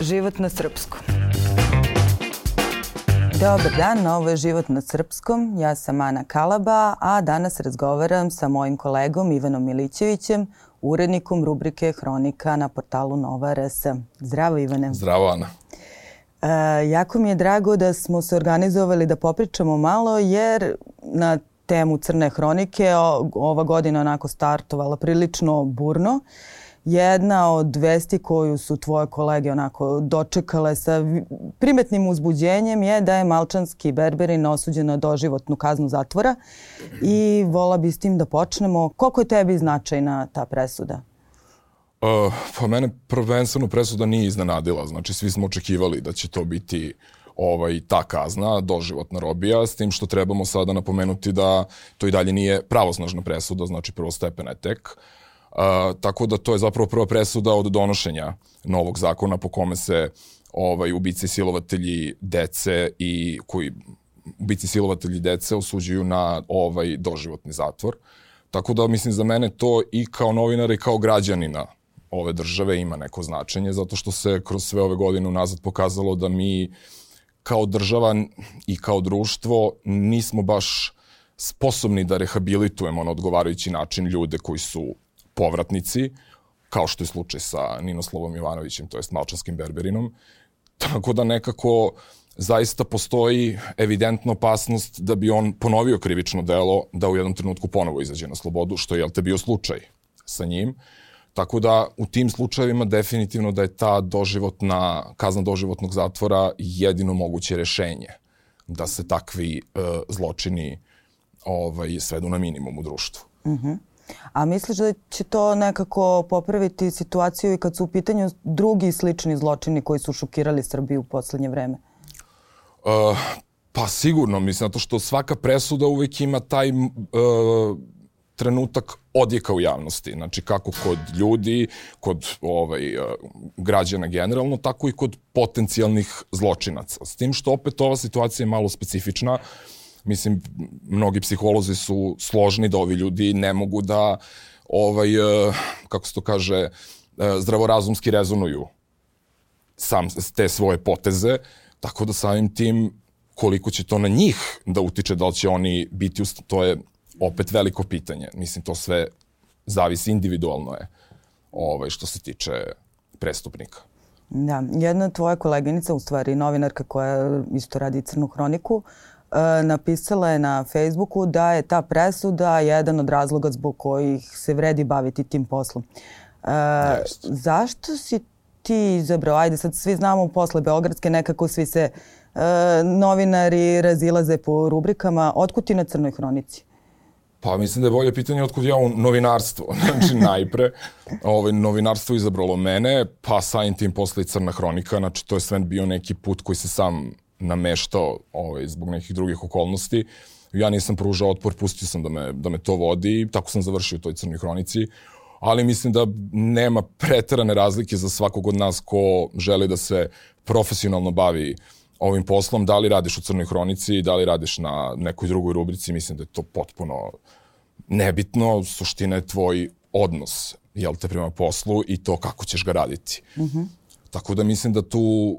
Život na srpskom. Dobar dan, ovo je Život na srpskom. Ja sam Ana Kalaba, a danas razgovaram sa mojim kolegom Ivanom Milićevićem, urednikom rubrike Hronika na portalu Nova RS. Zdravo, Ivane. Zdravo, Ana. Jako mi je drago da smo se organizovali da popričamo malo, jer na temu Crne hronike ova godina onako startovala prilično burno. Jedna od vesti koju su tvoje kolege onako dočekale sa primetnim uzbuđenjem je da je malčanski berberin osuđen na doživotnu kaznu zatvora i vola bi s tim da počnemo. Koliko je tebi značajna ta presuda? Pa mene prvenstveno presuda nije iznenadila. Znači svi smo očekivali da će to biti ta kazna, doživotna robija, s tim što trebamo sada napomenuti da to i dalje nije pravosnažna presuda, znači prvostepena je tek. Tako da to je zapravo prva presuda od donošenja novog zakona po kome se ubice i silovatelji dece ubici silovatelji dece osuđuju na doživotni zatvor. Tako da mislim za mene to i kao novinara i kao građanina ove države ima neko značenje, zato što se kroz sve ove godine unazad pokazalo da mi kao država i kao društvo nismo baš sposobni da rehabilitujemo na odgovarajući način ljude koji su povratnici, kao što je slučaj sa Ninoslavom Jovanovićem, to jest malčanskim berberinom. Tako da nekako zaista postoji evidentna opasnost da bi on ponovio krivično delo, da u jednom trenutku ponovo izađe na slobodu, što je bio slučaj sa njim. Tako da u tim slučajevima definitivno da je ta kazna doživotnog zatvora jedino moguće rešenje da se takvi zločini svedu na minimum u društvu. A misliš da će to nekako popraviti situaciju i kad su u pitanju drugi slični zločini koji su šokirali Srbiju u poslednje vreme? Pa sigurno, mislim, zato što svaka presuda uvijek ima taj trenutak odjeka u javnosti. Znači kako kod ljudi, kod građana generalno, tako i kod potencijalnih zločinaca. S tim što opet ova situacija je malo specifična. Mislim, mnogi psiholozi su složni da ovi ljudi ne mogu da, kako se to kaže, zdravorazumski rezonuju te svoje poteze, tako da samim tim koliko će to na njih da utiče, da li će oni biti, to je opet veliko pitanje. Mislim, to sve zavisi, individualno je što se tiče prestupnika. Da, jedna tvoja koleginica, u stvari novinarka koja isto radi Crnu hroniku, napisala je na Facebooku da je ta presuda jedan od razloga zbog kojih se vredi baviti tim poslom. Zašto si ti izabrao? Ajde, sad svi znamo posle Beogradske, nekako svi se novinari razilaze po rubrikama. Otkud ti na Crnoj hronici? Pa mislim da je bolje pitanje otkud ja u novinarstvo. Znači najpre novinarstvo izabralo mene, pa samim tim posle i Crna hronika. Znači to je sve bio neki put koji se sam nameštao zbog nekih drugih okolnosti. Ja nisam pružao otpor, pustio sam da me to vodi i tako sam završio u toj Crnoj hronici. Ali mislim da nema preterane razlike za svakog od nas ko želi da se profesionalno bavi ovim poslom. Da li radiš u Crnoj hronici, da li radiš na nekoj drugoj rubrici, mislim da je to potpuno nebitno. Suština je tvoj odnos, prema poslu i to kako ćeš ga raditi. Tako da mislim da tu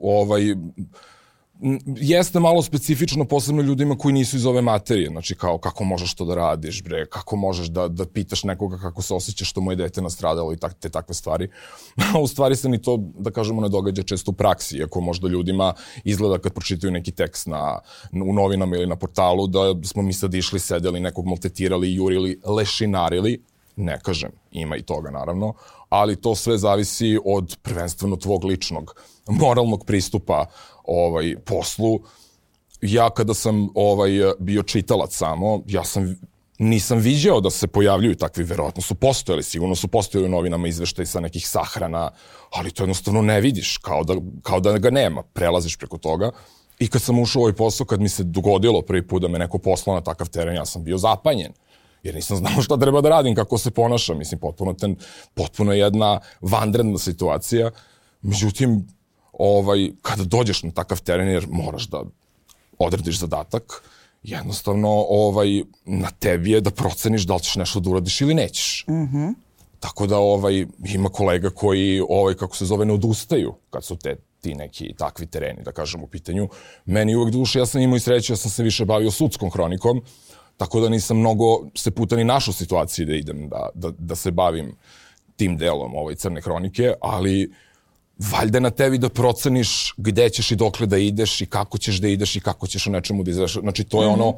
jeste malo specifično, posebno ljudima koji nisu iz ove materije. Znači kao kako možeš to da radiš, bre, kako možeš da pitaš nekoga kako se osjećaš što mu je dete nastradalo i te takve stvari. U stvari se ni to, da kažemo, ne događa često u praksi, iako možda ljudima izgleda kad pročitaju neki tekst u novinama ili na portalu da smo mi sad išli, sedeli, nekog maltretirali, jurili, lešinarili. Ne kažem, ima i toga naravno, ali to sve zavisi od prvenstveno tvog ličnog moralnog pristupa poslu. Ja kada sam bio čitalac samo, nisam viđao da se pojavljuju takvi, verovatno su postojali, sigurno su postojali u novinama izveštaj sa nekih sahrana, ali to jednostavno ne vidiš, kao da ga nema, prelaziš preko toga. I kad sam ušao u ovaj posao, kad mi se dogodilo prvi put da me neko poslao na takav teren, ja sam bio zapanjen. Jer nisam znao šta treba da radim, kako se ponašam. Mislim, potpuno jedna vanredna situacija. Međutim, kada dođeš na takav teren, jer moraš da odradiš zadatak, jednostavno na tebi je da proceniš da li ćeš nešto da uradiš ili nećeš. Tako da ima kolega koji, kako se zove, ne odustaju kad su te ti neki takvi tereni, da kažem, u pitanju. Meni uvek duše, ja sam imao i sreće, ja sam se više bavio sudskom hronikom, tako da nisam mnogo se puta ni našao situaciji da idem, da se bavim tim delom crne hronike, ali valjda na tebi da proceniš gde ćeš i dokle da ideš i kako ćeš da ideš i kako ćeš o nečemu da izveš. Znači, to je ono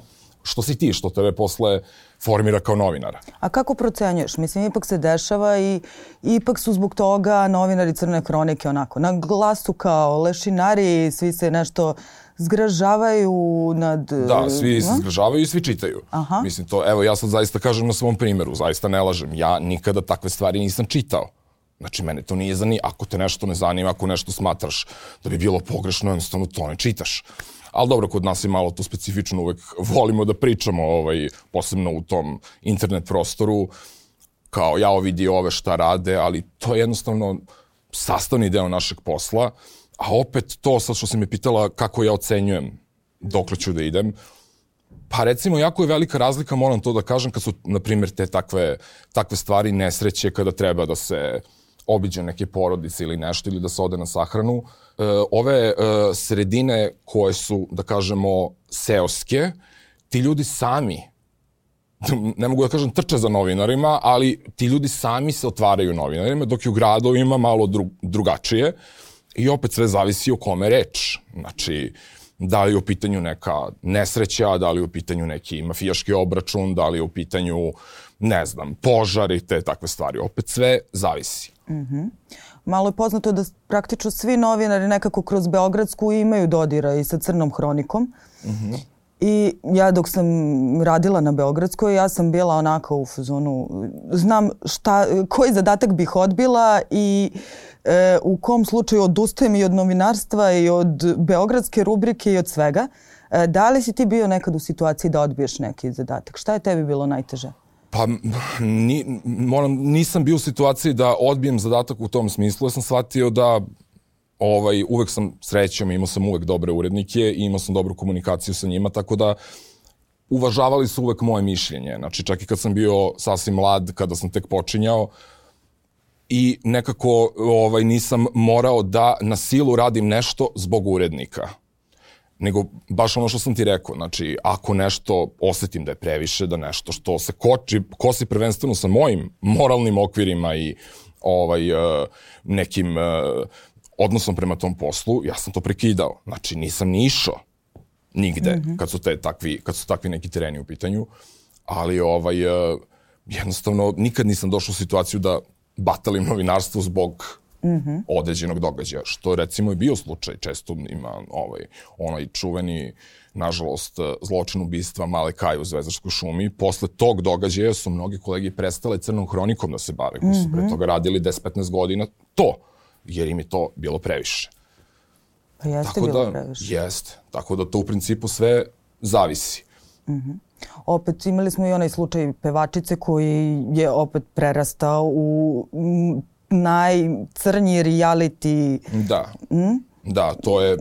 što si ti, što tebe posle formira kao novinara. A kako procenjuješ? Mislim, ipak se dešava i ipak su zbog toga novinari crne hronike onako na glasu kao lešinari, svi se nešto zgražavaju nad... Da, svi se zgražavaju i svi čitaju. Aha. Mislim, to, evo, ja sad zaista kažem na svom primjeru, zaista ne lažem. Ja nikada takve stvari nisam čitao. Znači, mene to nije zanima. Ako te nešto ne zanima, ako nešto smatraš da bi bilo pogrešno, jednostavno to ne čitaš. Ali dobro, kod nas je malo to specifično, uvek volimo da pričamo, posebno u tom internet prostoru, kao ja vidi ove šta rade, ali to je jednostavno sastavni deo našeg posla, a opet to, sad što si me pitala kako ja ocenjujem dokle ću da idem, pa recimo jako je velika razlika, moram to da kažem, kad su, na primjer, te takve stvari, nesreće, kada treba da se obiđe neke porodice ili nešto, ili da se ode na sahranu. Ove sredine koje su, da kažemo, seoske, ti ljudi sami, ne mogu da kažem trče za novinarima, ali ti ljudi sami se otvaraju novinarima, dok je u gradovima malo drugačije i opet sve zavisi o kome reč. Znači, da li je u pitanju neka nesreća, da li je u pitanju neki mafijaški obračun, da li je u pitanju, ne znam, požar i te takve stvari. Opet sve zavisi. Malo je poznato da praktično svi novinari nekako kroz Beogradsku imaju dodira i sa crnom hronikom. I ja dok sam radila na Beogradskoj, ja sam bila onako u fazonu, znam koji zadatak bih odbila i u kom slučaju odustajem i od novinarstva i od beogradske rubrike i od svega. Da li si ti bio nekad u situaciji da odbiješ neki zadatak? Šta je tebi bilo najteže? Pa nisam bio u situaciji da odbijem zadatak u tom smislu. Ja sam shvatio da uvek sam srećom, imao sam uvek dobre urednike i imao sam dobru komunikaciju sa njima, tako da uvažavali su uvek moje mišljenje. Znači, čak i kad sam bio sasvim mlad, kada sam tek počinjao, i nekako nisam morao da na silu radim nešto zbog urednika. Nego baš ono što sam ti rekao, znači ako nešto osetim da je previše, da nešto što se kosi prvenstveno sa mojim moralnim okvirima i nekim odnosom prema tom poslu, ja sam to prekidao. Znači nisam ni išao nigde kad su takvi neki tereni u pitanju, ali jednostavno nikad nisam došao u situaciju da batalim novinarstvo zbog određenog događaja, što recimo je bio slučaj. Često ima onaj čuveni, nažalost, zločin ubistva Male Kaje u Zvezdarskoj šumi. Posle tog događaja su mnogi kolegi prestale crnom hronikom da se bave, koji su pre toga radili 10-15 godina to, jer im je to bilo previše. Pa jeste bilo previše. Jeste. Tako da to u principu sve zavisi. Opet imali smo i onaj slučaj pevačice koji je opet prerastao u najcrnji reality. Da, to je...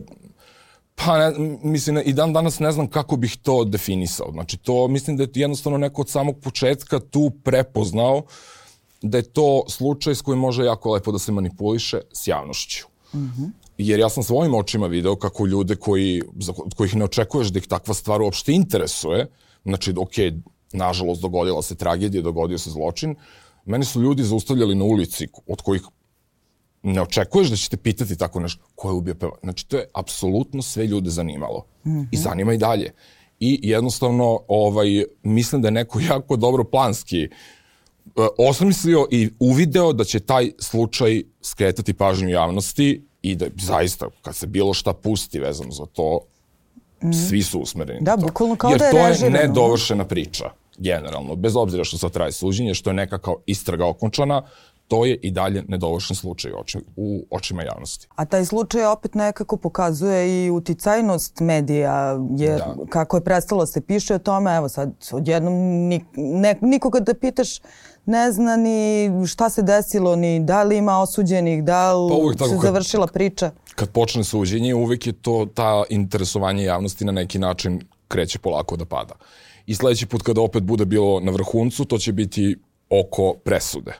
Pa, mislim, i dan danas ne znam kako bih to definisao. Znači, to mislim da je jednostavno neko od samog početka tu prepoznao da je to slučaj s kojim može jako lepo da se manipuliše s javnošću. Jer ja sam svojim očima video kako ljude kojih ne očekuješ da ih takva stvar uopšte interesuje, znači, nažalost, dogodila se tragedija, dogodio se zločin, meni su ljudi zaustavljali na ulici od kojih ne očekuješ da ćete pitati tako nešto, ko je ubio pevača. Znači, to je apsolutno sve ljude zanimalo. I zanima i dalje. I jednostavno, mislim da je neko jako dobro planski osmislio i uvideo da će taj slučaj skretati pažnju javnosti i da zaista, kad se bilo šta pusti vezano za to, svi su usmereni na to. Da, bukvalno kao da je režirano. Jer to je nedovršena priča, generalno. Bez obzira što sad traje suđenje, što je neka kao istraga okončana, to je i dalje nedovršen slučaj u očima javnosti. A taj slučaj opet nekako pokazuje i uticajnost medija, jer kako je prestalo se piše o tome, evo sad odjednom nikoga da pitaš ne zna ni šta se desilo, ni da li ima osuđenih, da li se završila priča. Kad počne suđenje, uvek je to ta interesovanje javnosti na neki način kreće polako da pada. I sledeći put kada opet bude bilo na vrhuncu, to će biti oko presude.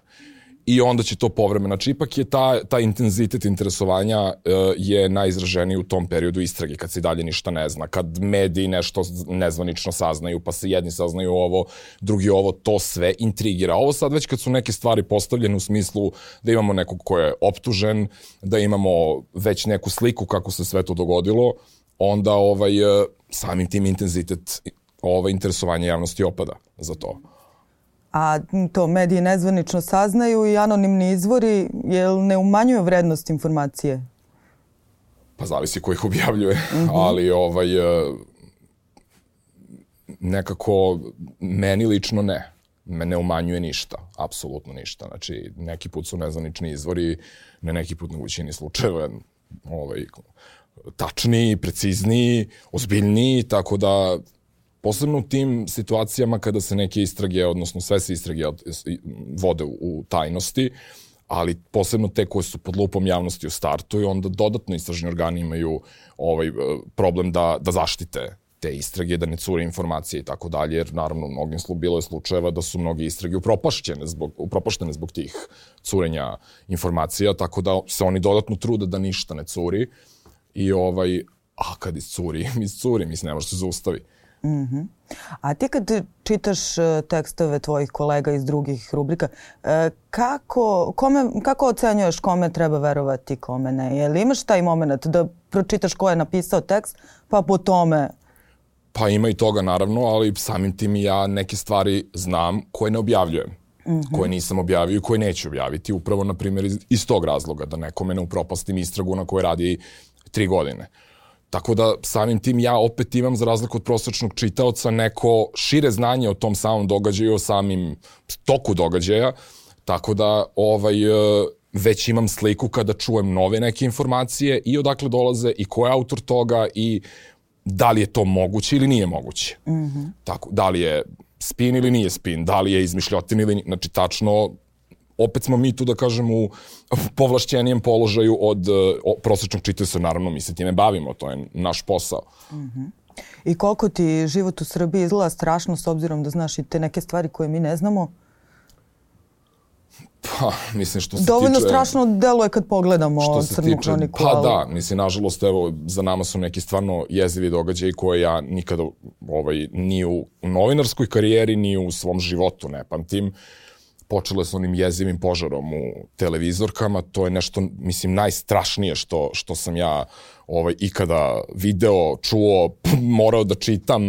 i onda će to povremeno. Znači, ipak je ta intenzitet interesovanja je najizraženiji u tom periodu istrage, kad se dalje ništa ne zna, kad mediji nešto nezvanično saznaju, pa se jedni saznaju ovo, drugi ovo, to sve intrigira. Ovo sad već kad su neke stvari postavljene u smislu da imamo nekog ko je optužen, da imamo već neku sliku kako se sve to dogodilo, onda samim tim intenzitet interesovanja javnosti opada za to. A to mediji nezvanično saznaju i anonimni izvori, jel ne umanjuju vrednost informacije? Pa zavisi ko ih objavljuje, ali nekako meni lično ne. Me ne umanjuje ništa, apsolutno ništa. Znači, neki put su nezvanični izvori, ne neki put na većini slučajeva tačniji, precizniji, ozbiljniji, tako da posebno u tim situacijama kada se neke istrage, odnosno sve se istrage vode u tajnosti, ali posebno te koje su pod lupom javnosti u startu i onda dodatno istražni organi imaju problem da zaštite te istrage, da ne cure informacije i tako dalje, jer naravno bilo je slučajeva da su mnogi istrage upropaštene zbog tih curenja informacija, tako da se oni dodatno trude da ništa ne curi i kad iscuri, mislim, ne može se zaustavi. A ti kad čitaš tekstove tvojih kolega iz drugih rubrika, kako ocenjuješ kome treba verovati, kome ne? Jel imaš taj moment da pročitaš ko je napisao tekst, pa po tome... Pa ima i toga naravno, ali samim tim ja neke stvari znam koje ne objavljujem. Koje nisam objavio i koje neću objaviti. Upravo, na primjer, iz tog razloga, da nekome ne upropastim istragu na kojoj radi 3 godine. Tako da samim tim ja opet imam, za razliku od prosječnog čitaoca, neko šire znanje o tom samom događaju, o samim toku događaja, tako da već imam sliku kada čujem nove neke informacije i odakle dolaze i ko je autor toga i da li je to moguće ili nije moguće. Tako, da li je spin ili nije spin, da li je izmišljotin ili nije. Znači, tačno, opet smo mi tu, da kažem, u povlašćenijem položaju od prosječnog čitaoca. Naravno, mi se time bavimo, to je naš posao. I koliko ti život u Srbiji izgleda strašno, s obzirom da znaš i te neke stvari koje mi ne znamo? Pa, mislim, što se dovoljno strašno deluje kad pogledamo Crnu hroniku. Pa da, mislim, nažalost, evo, za nama su neki stvarno jezivi događaji koje ja nikada ni u novinarskoj karijeri, ni u svom životu ne pamtim. Počele s onim jezivim požarom u televizorkama, to je nešto, mislim, najstrašnije što sam ja ikada video, čuo, morao da čitam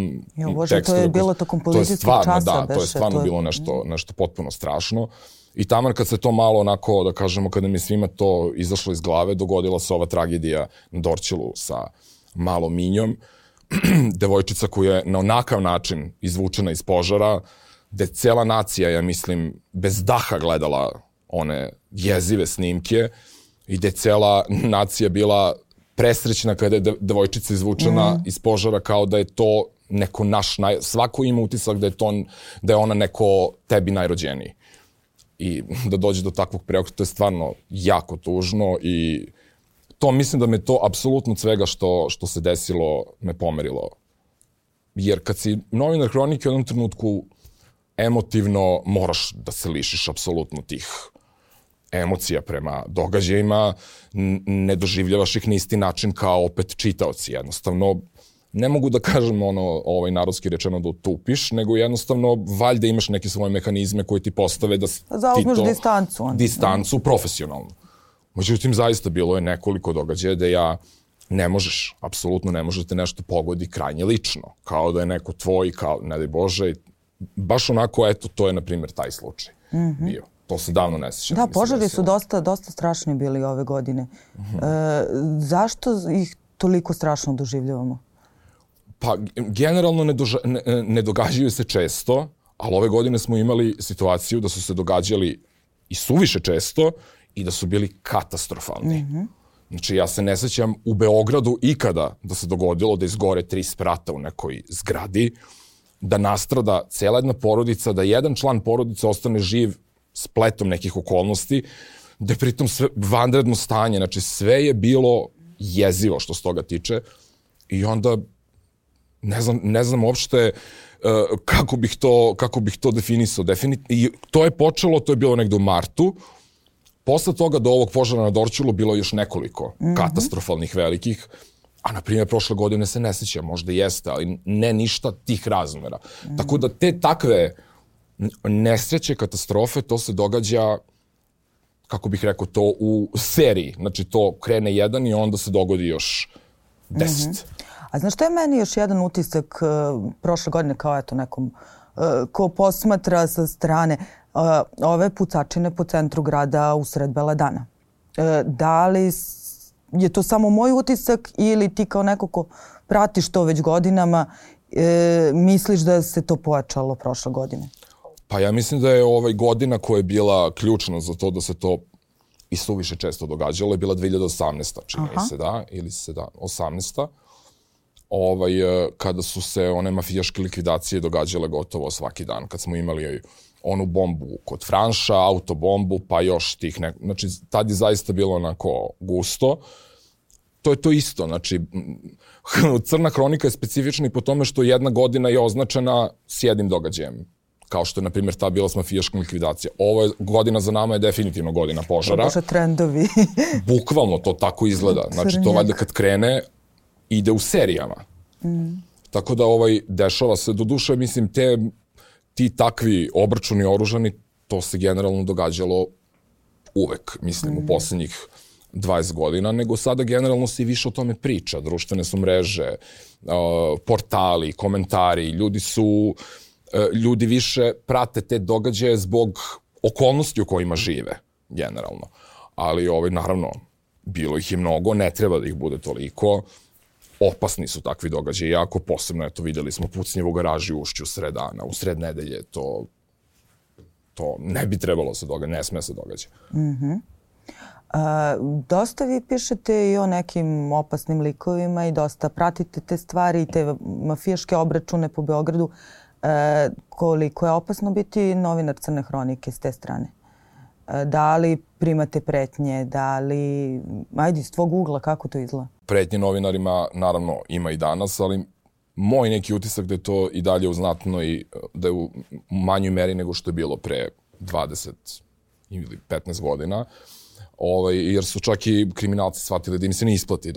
tekstove. To je bilo tokom policijskog časa. Da, to je stvarno bilo nešto potpuno strašno. I taman kad se to malo onako, da kažemo, kada mi svima to izašlo iz glave, dogodila se ova tragedija na Dorćolu sa malom Minjom. Devojčica koja je na onakav način izvučena iz požara, gde cela nacija, ja mislim, bez daha gledala one jezive snimke i gde cela nacija bila presrećna kada je devojčica izvučena iz požara, kao da je to neko naš, svako ima utisak da je ona neko tebi najrođeniji. I da dođe do takvog preokreta, to je stvarno jako tužno i to mislim da me to apsolutno od svega što se desilo me pomerilo. Jer kad si novinar hronike u jednom trenutku emotivno moraš da se lišiš apsolutno tih emocija prema događajima, ne doživljavaš ih na isti način kao opet čitaoci. Jednostavno, ne mogu da kažem narodski rečeno da utupiš, nego jednostavno valjda imaš neke svoje mehanizme koje ti postave da zauzmeš distancu profesionalno. Međutim, zaista bilo je nekoliko događaja da apsolutno ne može da te nešto pogodi krajnje lično. Kao da je neko tvoj, kao, ne daj Bože, baš onako, eto, to je, na primjer, taj slučaj bio. To se davno ne sjećam. Da, požari su dosta strašni bili ove godine. Zašto ih toliko strašno doživljavamo? Pa, generalno ne događaju se često, ali ove godine smo imali situaciju da su se događali i suviše često i da su bili katastrofalni. Znači, ja se ne sjećam u Beogradu ikada da se dogodilo da izgore 3 sprata u nekoj zgradi, da nastrada cela jedna porodica, da jedan član porodice ostane živ spletom nekih okolnosti, da je pritom sve vanredno stanje. Znači, sve je bilo jezivo što se toga tiče i onda ne znam uopšte kako bih to definisao. I to je počelo, to je bilo negde u martu Posle toga do ovog požara na Dorćolu bilo je još nekoliko katastrofalnih velikih, a na primjer prošle godine se ne sećam, možda jeste, ali ne ništa tih razmera. Tako da te takve nesreće, katastrofe, to se događa, kako bih rekao, to u seriji. Znači to krene jedan i onda se dogodi još 10. A znaš što je meni još jedan utisak prošle godine kao eto nekom ko posmatra sa strane ove pucačine po centru grada usred bela dana? Da li je to samo moj utisak ili ti kao neko ko pratiš to već godinama misliš da se to pojačalo prošle godine? Pa ja mislim da je godina koja je bila ključna za to da se to i suviše često događalo je bila 2018. čini se, da? Ili 18. Kada su se one mafijaške likvidacije događale gotovo svaki dan. Kad smo imali onu bombu kod Franša, autobombu, pa još tih znači, tad je zaista bilo onako gusto. To je to isto. Znači, Crna hronika je specifična i po tome što jedna godina je označena s jednim događajem. Kao što je, na primjer, ta bila s mafijaškom likvidacija. Ovo godina za nama je definitivno godina požara. Bože, trendovi. Bukvalno to tako izgleda. Znači, to valjda kad krene, ide u serijama. Tako da dešava se, doduše, mislim, ti takvi obračuni oružani, to se generalno događalo uvek, mislim, u poslednjih 20 godina, nego sada generalno se i više o tome priča. Društvene su mreže, portali, komentari, ljudi više prate te događaje zbog okolnosti u kojima žive, generalno. Ali, naravno, bilo ih je mnogo, ne treba da ih bude toliko. Opasni su takvi događaji, jako posebno, eto, videli smo pucnjev u garaži u Ušću sred dana, u sred nedelje, to ne bi trebalo se događati, ne sme se događati. Dosta vi pišete i o nekim opasnim likovima i dosta pratite te stvari i te mafijaške obračune po Beogradu. Koliko je opasno biti novinar Crne hronike s te strane? Da li primate pretnje, da li... Ajde, iz tvog ugla, kako to izgleda? Pretnje novinarima, naravno, ima i danas, ali moj neki utisak da je to i dalje uznatno i da je u manjoj meri nego što je bilo pre 20 ili 15 godina. Jer su čak i kriminalci shvatili da im se ne isplati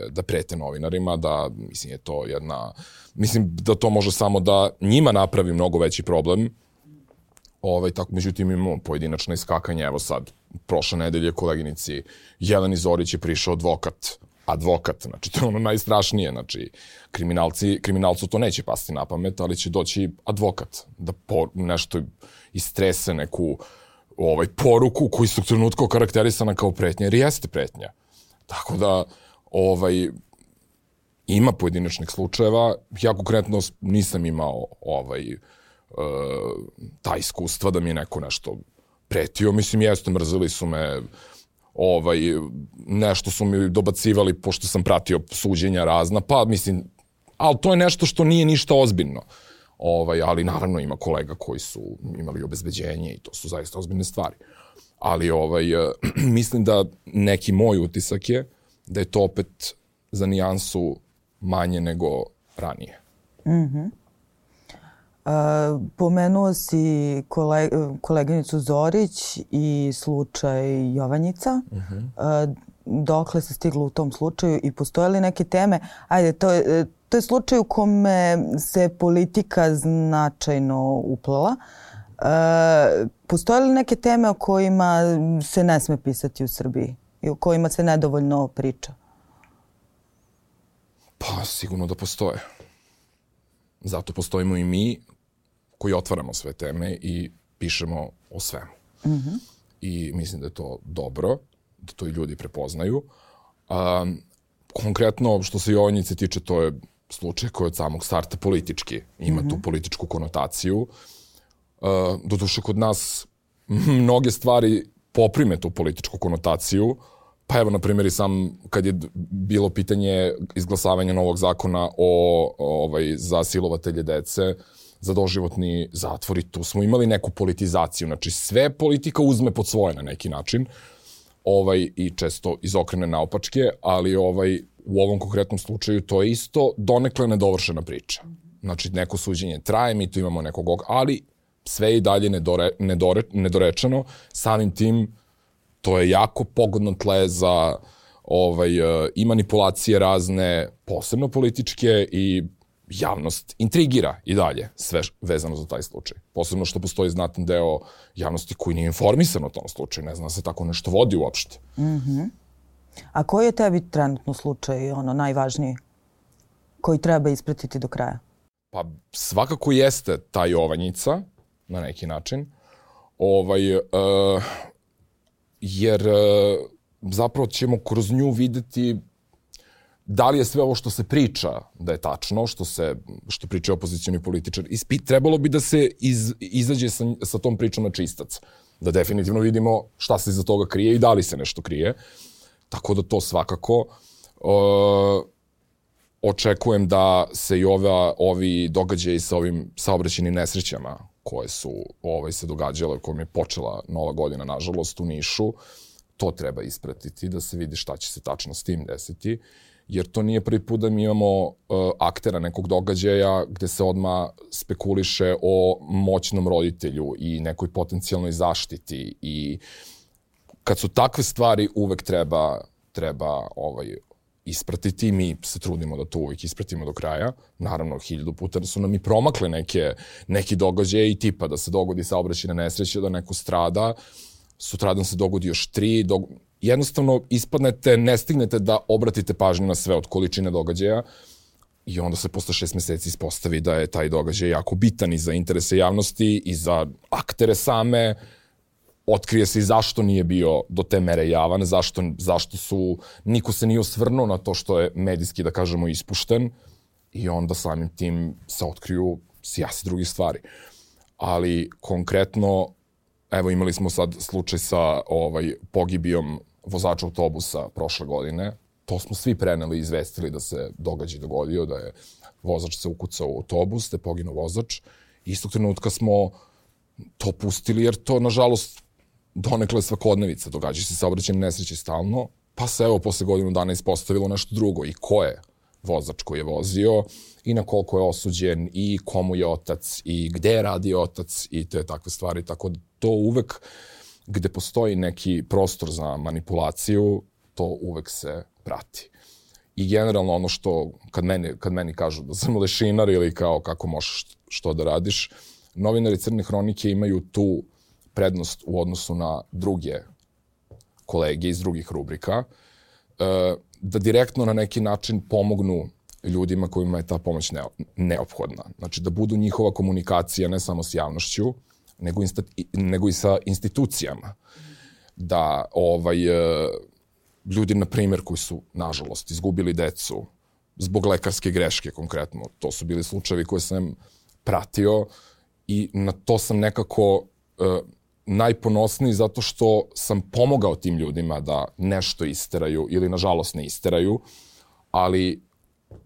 da prete novinarima, da, mislim, je to mislim da to može samo da njima napravi mnogo veći problem. Tako, međutim, imamo pojedinačna iskakanja. Evo sad, prošle nedelje koleginici Jeleni Zorić je prišao advokat, znači to je ono najstrašnije, znači kriminalcu to neće pasti na pamet, ali će doći advokat da nešto istrese neku poruku koji su u trenutku karakterisana kao pretnja, jer jeste pretnja. Tako da, ima pojedinačnih slučajeva. Ja konkretno nisam imao ta iskustva da mi je neko nešto pretio. Mislim, jeste, mrzili su me, nešto su mi dobacivali pošto sam pratio suđenja razna, pa mislim, ali to je nešto što nije ništa ozbiljno. Ali naravno ima kolega koji su imali obezbeđenje i to su zaista ozbiljne stvari. Ali mislim da neki moj utisak je da je to opet za nijansu manje nego ranije. Pomenuo si koleginicu Zorić i slučaj Jovanjica. Dokle se stiglo u tom slučaju i postoje li neke teme? Ajde, to je slučaj u kome se politika značajno uplela. Postoje li neke teme o kojima se ne sme pisati u Srbiji i o kojima se nedovoljno priča? Pa, sigurno da postoje. Zato postojimo i mi koji otvaramo sve teme i pišemo o svemu. I mislim da je to dobro, da to i ljudi prepoznaju. Konkretno, što se Jovanjice tiče, to je slučaj koji od samog starta politički ima tu političku konotaciju. Doduše, kod nas mnoge stvari poprime tu političku konotaciju. Pa evo, na primjer, i sam kad je bilo pitanje izglasavanja novog zakona za silovatelje dece, za doživotni zatvor, i tu smo imali neku politizaciju. Znači, sve politika uzme pod svoje na neki način i često izokrene naopačke, ali u ovom konkretnom slučaju to je isto donekle nedovršena priča. Znači, neko suđenje traje, mi tu imamo nekog, ali sve je i dalje nedorečeno. Samim tim to je jako pogodno tle za i manipulacije razne, posebno političke, i javnost intrigira i dalje, sve vezano za taj slučaj. Posebno što postoji znatan deo javnosti koji nije informisan o tom slučaju, ne zna da se tako nešto vodi uopšte. A koji je tebi trenutno slučaj najvažniji koji treba ispratiti do kraja? Pa svakako jeste ta Jovanjica, na neki način, jer zapravo ćemo kroz nju videti da li je sve ovo što se priča da je tačno, što pričaju opozicioni političari. Trebalo bi da se izađe sa tom pričom na čistac. Da definitivno vidimo šta se iza toga krije i da li se nešto krije. Tako da to svakako. Očekujem da se i ovi događaji sa ovim saobraćajnim nesrećama koje su se događale, kojom je počela Nova godina, nažalost, u Nišu, to treba ispratiti, da se vidi šta će se tačno s tim desiti. Jer to nije prvi put da mi imamo aktera nekog događaja gde se odmah spekuliše o moćnom roditelju i nekoj potencijalnoj zaštiti. I kad su takve stvari, uvek treba ispratiti. Mi se trudimo da to uvek ispratimo do kraja. Naravno, 1000 puta su nam i promakle neki događaje i tipa da se dogodi saobraćajna nesreća, da neko strada, sutradan se dogodi još 3, jednostavno ispadnete, ne stignete da obratite pažnju na sve od količine događaja i onda se posle 6 meseci ispostavi da je taj događaj jako bitan i za interese javnosti i za aktere same. Otkrije se i zašto nije bio do te mere javan, zašto niko se nije osvrnuo na to što je medijski, da kažemo, ispušten, i onda samim tim se otkriju sjasi drugih stvari. Ali konkretno, evo, imali smo sad slučaj sa pogibijom vozača autobusa prošle godine. To smo svi preneli i izvestili da se događaj dogodio, da je vozač se ukucao u autobus, da je poginuo vozač. Istog trenutka smo to pustili, jer to, nažalost, donekle svakodnevica. Događaju se saobraćajne nesreće stalno, pa se evo posle godinu dana ispostavilo nešto drugo. I ko je vozač koji je vozio, i na koliko je osuđen, i komu je otac, i gde je radio otac, i te takve stvari. Tako da to uvek, gde postoji neki prostor za manipulaciju, to uvek se prati. I generalno ono što, kad meni kažu da sam lešinar ili kao kako možeš što da radiš, novinari Crne hronike imaju tu prednost u odnosu na druge kolege iz drugih rubrika, da direktno na neki način pomognu ljudima kojima je ta pomoć neophodna. Znači da budu njihova komunikacija ne samo s javnošću, nego i sa institucijama. Da ljudi, na primjer, koji su, nažalost, izgubili decu zbog lekarske greške konkretno, to su bili slučajevi koje sam pratio i na to sam nekako najponosniji zato što sam pomogao tim ljudima da nešto isteraju ili, nažalost, ne isteraju, ali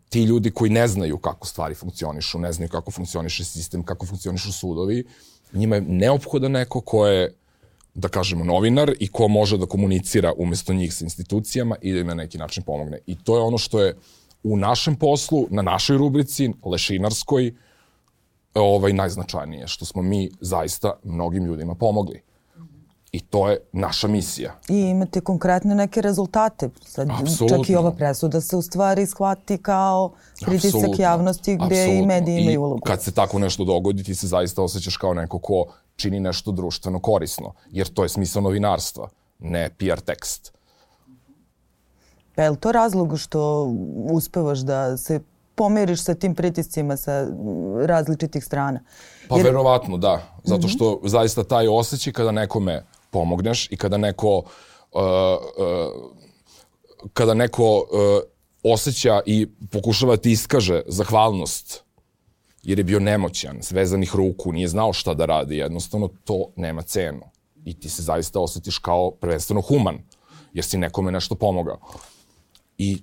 ti ljudi koji ne znaju kako stvari funkcionišu, ne znaju kako funkcioniše sistem, kako funkcionišu sudovi, njima je neophodan neko ko je, da kažemo, novinar i ko može da komunicira umesto njih sa institucijama i da im na neki način pomogne. I to je ono što je u našem poslu, na našoj rubrici, lešinarskoj, najznačajnije, što smo mi zaista mnogim ljudima pomogli. I to je naša misija. I imate konkretne neke rezultate. Sad, čak i ova presuda se u stvari shvati kao pritisak javnosti gde i mediji imaju ulogu. I kad se tako nešto dogodi, ti se zaista osjećaš kao neko ko čini nešto društveno korisno. Jer to je smisao novinarstva, ne PR tekst. Pa je li to razlog što uspevaš da se pomiriš sa tim pritiscima sa različitih strana? Pa verovatno, da. Zato što zaista taj osjećaj kada nekome pomogneš i kada neko osjeća i pokušava ti iskaže zahvalnost jer je bio nemoćan, svezanih ruku, nije znao šta da radi, jednostavno to nema cenu. I ti se zaista osjetiš kao prvenstveno human, jer si nekome nešto pomogao. I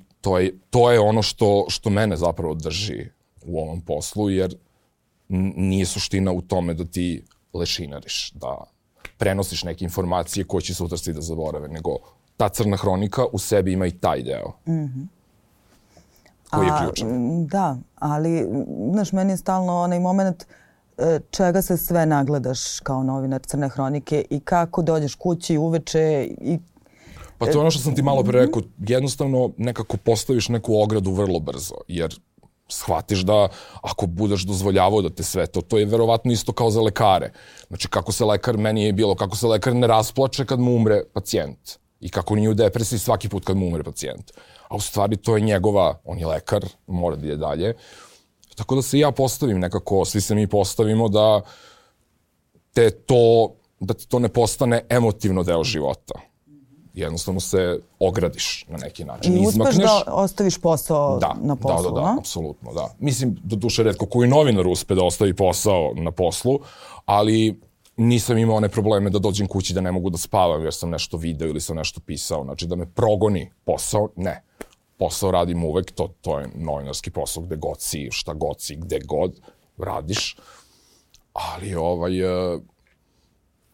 to je ono što mene zapravo drži u ovom poslu, jer nije suština u tome da ti lešinariš, da prenosiš neke informacije koje će sutra svi da zaborave, nego ta Crna hronika u sebi ima i taj deo. Koji je ključan. Da, ali, znaš, meni je stalno onaj moment čega se sve nagledaš kao novinar Crne hronike i kako dođeš kući uveče i... Pa to je ono što sam ti malo pre rekao, jednostavno nekako postaviš neku ogradu vrlo brzo, jer shvatiš da ako budeš dozvoljavao da te sve to je verovatno isto kao za lekare. Znači kako se lekar, meni je bilo, kako se lekar ne rasplače kad mu umre pacijent i kako nije u depresiji svaki put kad mu umre pacijent. A u stvari to je njegova, on je lekar, mora da ide dalje. Tako da se ja postavim nekako, svi se mi postavimo da ti to ne postane emotivno deo života. Jednostavno se ogradiš na neki način. I uspeš da ostaviš posao na poslu, Da, apsolutno, da. Mislim, do duše retko koji novinar uspe da ostavi posao na poslu, ali nisam imao one probleme da dođem kući da ne mogu da spavam jer sam nešto video ili sam nešto pisao. Znači da me progoni posao, ne. Posao radim uvek, to je novinarski posao gde god si, šta god si, gde god radiš. Ali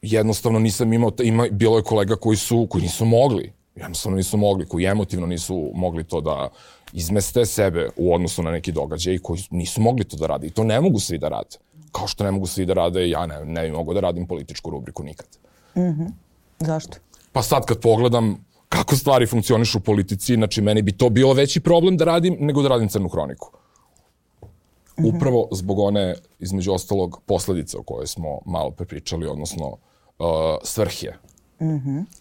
jednostavno nisam imao, bilo je kolega koji nisu mogli, jednostavno nisu mogli, koji emotivno nisu mogli to da izmeste sebe u odnosu na neki događaj i koji nisu mogli to da rade. I to ne mogu svi da rade. Kao što ne mogu svi da rade, ja ne bi mogao da radim političku rubriku nikad. Zašto? Pa sad kad pogledam kako stvari funkcionišu u politici, znači meni bi to bio veći problem da radim nego da radim Crnu hroniku. Upravo zbog one, između ostalog, posledice o kojoj smo malo prepričali, odnosno svrhe.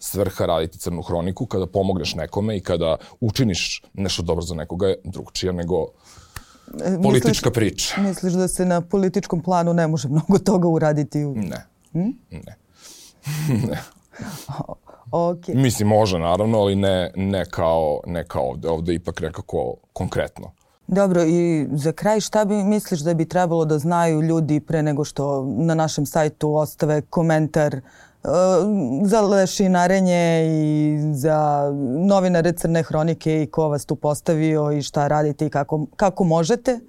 Svrha raditi Crnu hroniku kada pomogneš nekome i kada učiniš nešto dobro za nekoga je drugčija nego politička priča. Misliš da se na političkom planu ne može mnogo toga uraditi? Ne. Okay. Mislim, može naravno, ali ne kao ovde. Ovde ipak nekako konkretno. Dobro, i za kraj šta misliš da bi trebalo da znaju ljudi pre nego što na našem sajtu ostave komentar za lešinarenje i za novinare Crne hronike i ko vas tu postavio i šta radite i kako možete?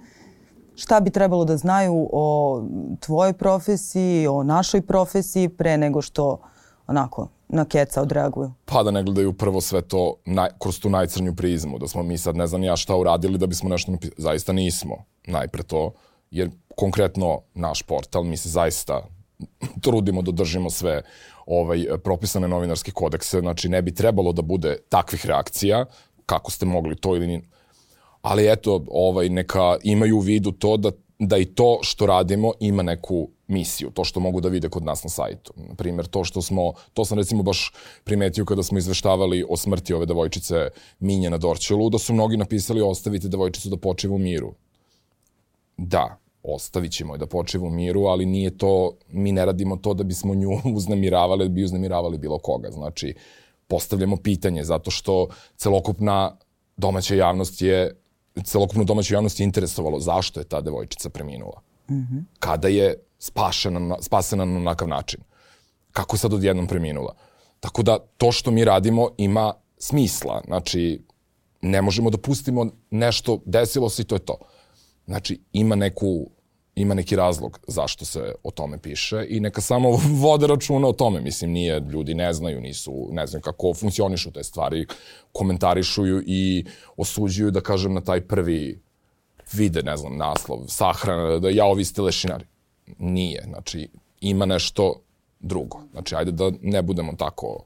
Šta bi trebalo da znaju o tvojoj profesiji, o našoj profesiji pre nego što onako na keca odreaguju? Pa da ne gledaju prvo sve to kroz tu najcrnju prizmu, da smo mi sad ne znam ja šta uradili da bismo nešto napisali. Zaista nismo najpre to, jer konkretno naš portal, mi se zaista trudimo da držimo sve propisane novinarske kodekse, znači ne bi trebalo da bude takvih reakcija, kako ste mogli to ili ni... Ali eto, neka imaju u vidu to da i to što radimo ima neku misiju, to što mogu da vide kod nas na sajtu. Na primjer, to sam recimo baš primetio kada smo izveštavali o smrti ove devojčice Minje na Dorćolu, da su mnogi napisali ostavite devojčicu da počiva u miru. Da, ostavit ćemo je da počiva u miru, ali nije to, mi ne radimo to da bismo nju uznemiravali, da bi uznemiravali bilo koga. Znači, postavljamo pitanje zato što celokupnu domaću javnost je interesovalo zašto je ta devojčica preminula. Kada je spasena na onakav način. Kako je sad odjednom preminula. Tako da to što mi radimo ima smisla. Znači, ne možemo da pustimo nešto, desilo se i to je to. Znači, ima neki razlog zašto se o tome piše i neka samo vode računa o tome. Mislim, ljudi ne znaju kako funkcionišu te stvari, komentarišuju i osuđuju, da kažem, na taj prvi vide, ne znam, naslov, sahrana, da ovi ste lešinari. Nije, znači, ima nešto drugo. Znači, ajde da ne budemo tako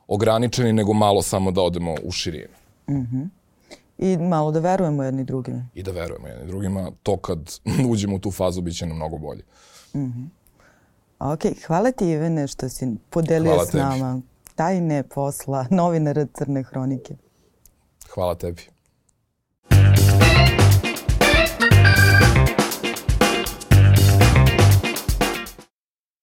ograničeni, nego malo samo da odemo u širinu. I malo da verujemo jedni drugima. I da verujemo jedni drugima. To kad uđemo u tu fazu bit će nam mnogo bolje. Ok, hvala ti Ivane što si podelio s nama tajne posla novinara Crne hronike. Hvala tebi.